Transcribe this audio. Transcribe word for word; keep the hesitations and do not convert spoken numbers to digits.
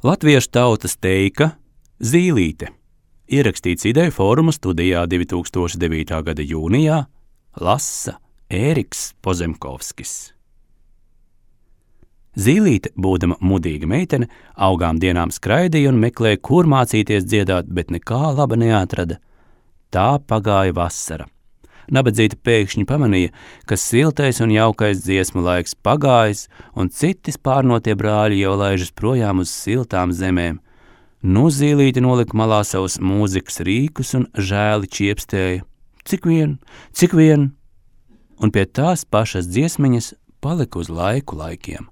Latviešu tautas teika Zīlīte. Ierakstīts Ideju fóruma studijā divi tūkstoši devītā gada jūnijā, lasa Ēriks Pozemkovskis. Zīlīte, būdama mudīga meitene, augām dienām skraidīja un meklēja, kur mācīties dziedāt, bet nekā laba neatrada. Tā pagāja vasara. Nabadzīta pēkšņi pamanīja, ka siltais un jaukais dziesmu laiks pagājis, un citi spārnotie brāļi jau laižas projām uz siltām zemēm. Nu Zīlīte nolika malā savus mūzikas rīkus un žēli čiepstēja. Cik vien, cik vien, un pie tās pašas dziesmiņas palika uz laiku laikiem.